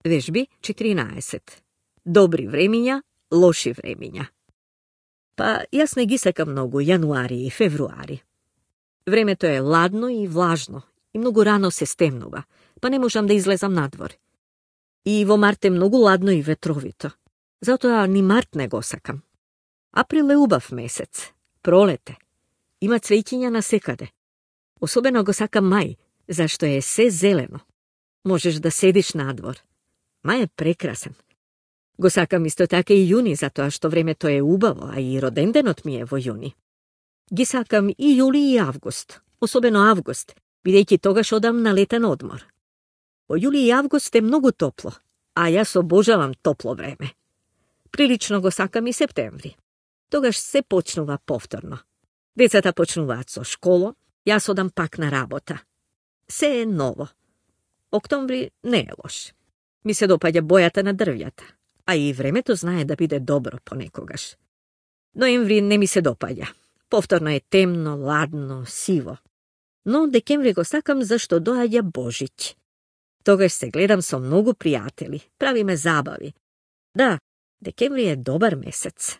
Вежби 14. Добри времиња, лоши времиња. Па јас не ги сакам многу јануари и февруари. Времето е ладно и влажно и многу рано се стемнува, па не можам да излезам надвор. И во март е многу ладно и ветровито. Затоа ни март не го сакам. Април е убав месец, пролете. Има цвеќиња на секаде. Особено го сакам мај, зашто е се зелено. Можеш да седиш надвор. Мај е прекрасен. Го сакам исто така и јуни, затоа што времето е убаво, а и роденденот ми е во јуни. Ги сакам и јули и август, особено август, бидејќи тогаш одам на летен одмор. Во јули и август е многу топло, а јас обожавам топло време. Прилично го сакам и септември. Тогаш се почнува повторно. Децата почнуваат со школа, јас одам пак на работа. Се е ново. Октомври не е лош. Ми се допаѓа бојата на дрвјата, а и времето знае да биде добро понекогаш. Ноември не ми се допаѓа. Повторно е темно, ладно, сиво. Но декември го сакам зашто доаѓа Божиќ. Тогаш се гледам со многу пријатели, правиме забави. Да, декември е добар месец.